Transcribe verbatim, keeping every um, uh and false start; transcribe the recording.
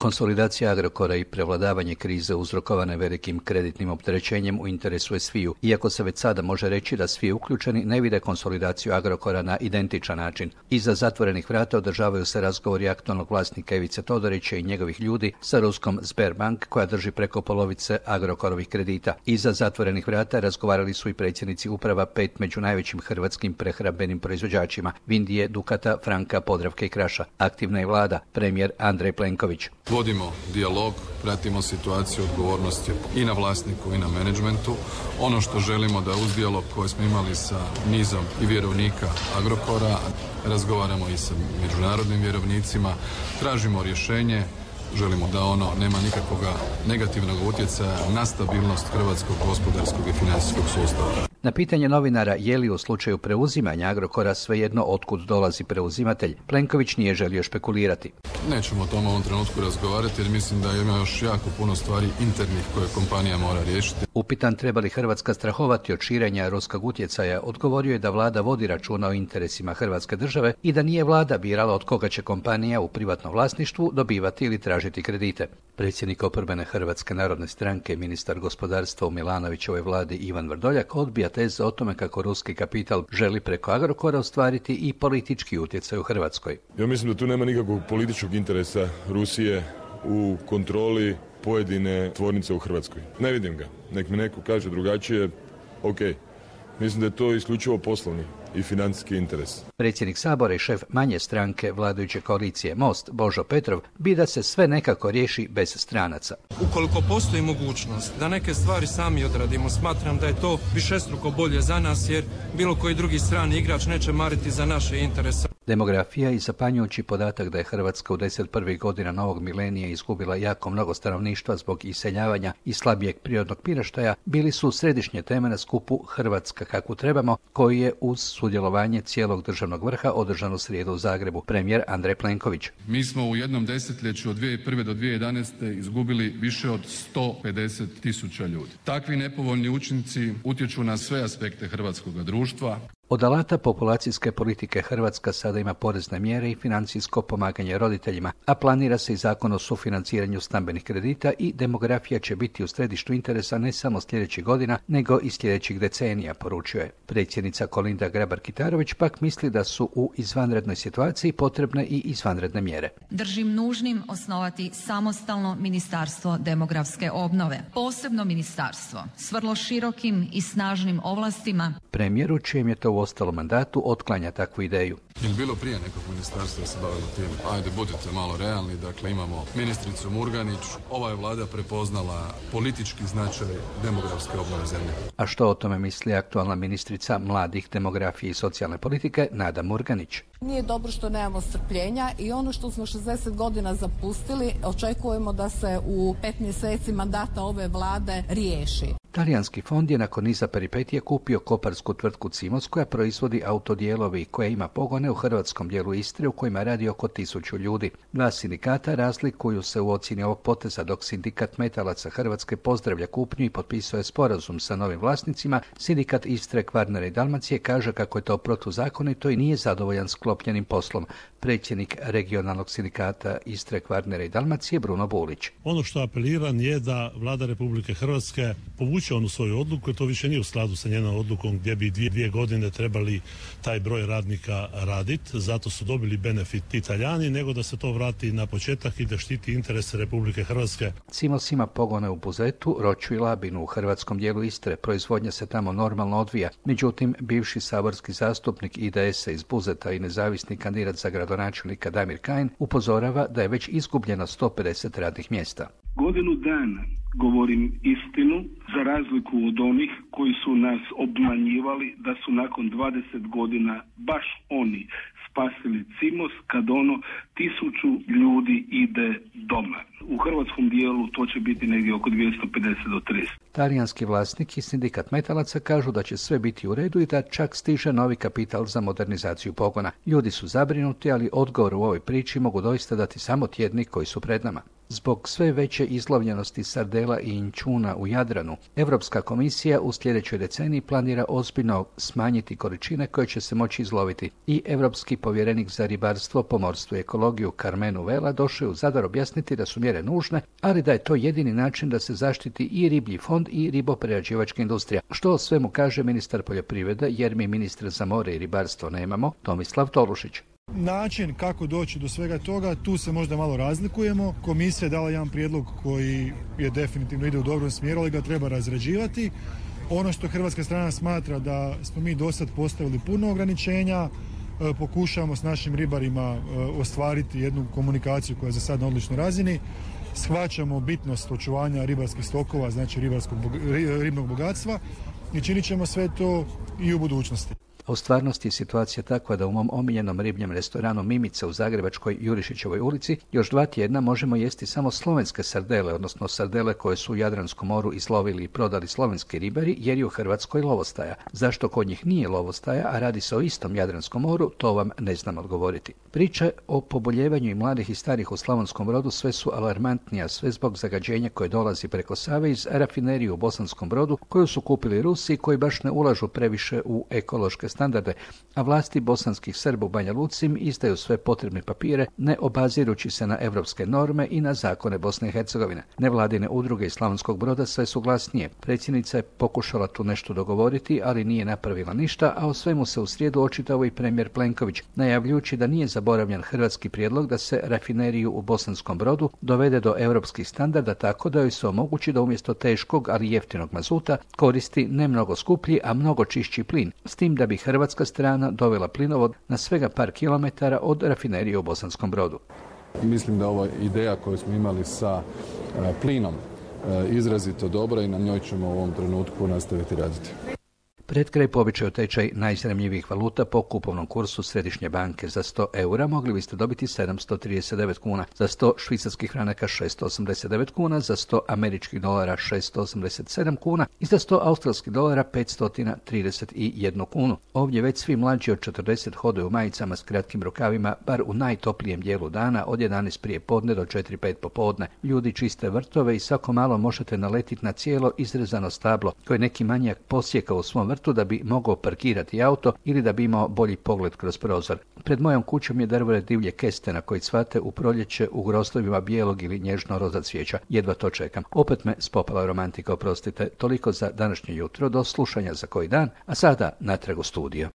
Konsolidacija Agrokora i prevladavanje krize uzrokovane velikim kreditnim opterećenjem u interesu je sviju, iako se već sada može reći da svi uključeni ne vide konsolidaciju Agrokora na identičan način. Iza zatvorenih vrata održavaju se razgovori aktualnog vlasnika Ivice Todorića i njegovih ljudi sa ruskom Sberbank, koja drži preko polovice Agrokorovih kredita. Iza zatvorenih vrata razgovarali su i predsjednici uprava pet među najvećim hrvatskim prehrambenim proizvođačima: Vindije, Dukata, Franka, Podravke i Kraša. Aktivna je vlada, premijer Andrej Plenković. Vodimo dijalog, pratimo situaciju, odgovornost je i na vlasniku i na menadžmentu. Ono što želimo da uz dijalog koji smo imali sa nizom i vjerovnika Agrokora, razgovaramo i sa međunarodnim vjerovnicima, tražimo rješenje, želimo da ono nema nikakvog negativnog utjecaja na stabilnost hrvatskog gospodarskog i financijskog sustava. Na pitanje novinara je li u slučaju preuzimanja Agrokora svejedno otkud dolazi preuzimatelj, Plenković nije želio špekulirati. Nećemo o tome u ovom trenutku razgovarati jer mislim da ima još jako puno stvari internih koje kompanija mora riješiti. Upitan treba li Hrvatska strahovati od širenja ruskog utjecaja, odgovorio je da vlada vodi računa o interesima Hrvatske države i da nije vlada birala od koga će kompanija u privatnom vlasništvu dobivati ili tražiti kredite. Predsjednik oporbene Hrvatske narodne stranke, ministar gospodarstva u Milanovićevoj vladi Ivan Vrdoljak odbija teze o tome kako ruski kapital želi preko Agrokora ostvariti i politički utjecaj u Hrvatskoj. Ja mislim da tu nema nikakvog političkog interesa Rusije u kontroli pojedine tvornice u Hrvatskoj. Ne vidim ga. Nek mi neko kaže drugačije, ok. Mislim da je to isključivo poslovni i financijski interes. Predsjednik Sabora i šef manje stranke vladajuće koalicije Most, Božo Petrov, bi da se sve nekako riješi bez stranaca. Ukoliko postoji mogućnost da neke stvari sami odradimo, smatram da je to višestruko bolje za nas, jer bilo koji drugi strani igrač neće mariti za naše interese. Demografija i zapanjujući podatak da je Hrvatska u deset prvih godina novog milenija izgubila jako mnogo stanovništva zbog iseljavanja i slabijeg prirodnog priraštaja bili su središnje teme na skupu Hrvatska kakvu trebamo, koji je uz sudjelovanje cijelog državnog vrha održan u srijedu u Zagrebu. Premijer Andrej Plenković. Mi smo u jednom desetljeću od dvije tisuće prve do dvije tisuće jedanaeste izgubili više od sto pedeset tisuća ljudi. Takvi nepovoljni učinci utječu na sve aspekte hrvatskog društva. Od alata populacijske politike Hrvatska sada ima porezne mjere i financijsko pomaganje roditeljima, a planira se i zakon o sufinanciranju stambenih kredita i demografija će biti u središtu interesa ne samo sljedećih godina, nego i sljedećih decenija, poručuje. Predsjednica Kolinda Grabar-Kitarović pak misli da su u izvanrednoj situaciji potrebne i izvanredne mjere. Držim nužnim osnovati samostalno ministarstvo demografske obnove, posebno ministarstvo s vrlo širokim i snažnim ovlastima. Premijeru, čijem je to u ostalom mandatu, otklanja takvu ideju. Je li bilo prije nekog ministarstva se bavilo tim? Ajde, budite malo realni. Dakle, imamo ministricu Murganić. Ova je vlada prepoznala politički značaj demografske obnove zemlje. A što o tome misli aktualna ministrica mladih, demografije i socijalne politike Nada Murganić? Nije dobro što nemamo strpljenja i ono što smo šezdeset godina zapustili, očekujemo da se u pet mjeseci mandata ove vlade riješi. Talijanski fond je nakon niza peripetija kupio koparsku tvrtku Cimos koja proizvodi autodijelovi i koja ima pogone u hrvatskom dijelu Istre u kojima radi oko tisuću ljudi. Dva sindikata razlikuju se u ocjeni ovog poteza, dok sindikat metalaca Hrvatske pozdravlja kupnju i potpisuje sporazum sa novim vlasnicima. Sindikat Istre, Kvarnera i Dalmacije kaže kako je to protuzakonito i nije zadovoljan sklopljenim poslom. Predsjednik regionalnog sindikata Istre, Kvarnera i Dalmacije Bruno Bulić. Ono što apeliram je da Vlada Republike Hrvatske povuče onu svoju odluku, jer to više nije u skladu sa njenom odlukom gdje bi dvije, dvije godine trebali taj broj radnika raditi. Zato su dobili benefit Italijani, nego da se to vrati na početak i da štiti interese Republike Hrvatske. Cimos ima pogone u Buzetu, Roću i Labinu u hrvatskom dijelu Istre. Proizvodnja se tamo normalno odvija. Međutim, bivši saborski zastupnik I D S-a iz Buzeta i nezavisni kandidat za gradonačelnika Damir Kajin upozorava da je već izgubljeno sto pedeset radnih mjesta. Godinu dana govorim istinu, za razliku od onih koji su nas obmanjivali da su nakon dvadeset godina baš oni spasili Cimos kad ono tisuću ljudi ide doma. U hrvatskom dijelu to će biti negdje oko dvjesto pedeset do tristo. Talijanski vlasnik i sindikat metalaca kažu da će sve biti u redu i da čak stiže novi kapital za modernizaciju pogona. Ljudi su zabrinuti, ali odgovor u ovoj priči mogu doista dati samo tjedni koji su pred nama. Zbog sve veće izlovljenosti sardela i inćuna u Jadranu, Europska komisija u sljedećoj deceniji planira ozbiljno smanjiti količine koje će se moći izloviti. I europski povjerenik za ribarstvo, pomorstvo i ekologiju Karmenu Vela došao je u Zadar objasniti da su mjere nužne, ali da je to jedini način da se zaštiti i riblji fond i riboprerađivačka industrija. Što o svemu kaže ministar poljoprivrede, jer mi ministra za more i ribarstvo nemamo, Tomislav Tolušić. Način kako doći do svega toga, tu se možda malo razlikujemo. Komisija je dala jedan prijedlog koji je definitivno ide u dobrom smjeru, ali ga treba razrađivati. Ono što hrvatska strana smatra da smo mi do sad postavili puno ograničenja, pokušavamo s našim ribarima ostvariti jednu komunikaciju koja je za sad na odličnoj razini. Shvaćamo bitnost očuvanja ribarskih stokova, znači ribarskog, ribnog bogatstva i činit ćemo sve to i u budućnosti. A u stvarnosti je situacija takva da u mom omiljenom ribljem restoranu Mimica u zagrebačkoj Jurišićevoj ulici još dva tjedna možemo jesti samo slovenske sardele, odnosno sardele koje su u Jadranskom moru izlovili i prodali slovenski ribari, jer je u Hrvatskoj lovostaja. Zašto kod njih nije lovostaja, a radi se o istom Jadranskom moru, to vam ne znam odgovoriti. Priče o poboljevanju i mladih i starih u Slavonskom Brodu sve su alarmantnije, sve zbog zagađenja koje dolazi preko Save iz rafinerije u Bosanskom Brodu, koju su kupili Rusi, koji baš ne ulažu previše u ekološke standarde, a vlasti bosanskih Srba u Banja Luci im izdaju sve potrebne papire, ne obazirući se na europske norme i na zakone Bosne i Hercegovine. Nevladine udruge iz Slavonskog Broda sve su glasnije. Predsjednica je pokušala tu nešto dogovoriti, ali nije napravila ništa, a o svemu se u srijedu očitao i premijer Plenković, najavljujući da nije zaboravljen hrvatski prijedlog da se rafineriju u Bosanskom Brodu dovede do europskih standarda tako da joj se omogući da umjesto teškog, ali jeftinog mazuta koristi ne mnogo skuplji, a mnogo čišći plin, s tim da bi hrvatska strana dovela plinovod na svega par kilometara od rafinerije u Bosanskom Brodu. Mislim da ova ideja koju smo imali sa plinom izrazito dobra i na njoj ćemo u ovom trenutku nastaviti raditi. Pred kraj po običaju tečaj najzanimljivijih valuta po kupovnom kursu Središnje banke. Za sto eura mogli biste dobiti sedamsto trideset devet kuna, za sto švicarskih franaka šesto osamdeset devet kuna, za sto američkih dolara šesto osamdeset sedam kuna i za sto australskih dolara petsto trideset jedan kunu. Ovdje već svi mlađi od četrdeset hodaju u majicama s kratkim rukavima, bar u najtoplijem dijelu dana od jedanaest prije podne do četiri pet popodne. Ljudi čiste vrtove i svako malo možete naletiti na cijelo izrezano stablo koje neki manjak posjeka u svom vrtu da bi mogao parkirati auto ili da bi imao bolji pogled kroz prozor. Pred mojom kućom je drvore divlje kestena koji cvate u proljeće u grostovima bijelog ili nježno roza cvijeća. Jedva to čekam. Opet me spopala romantika, oprostite. Toliko za današnje jutro, do slušanja za koji dan, a sada natrag u studio.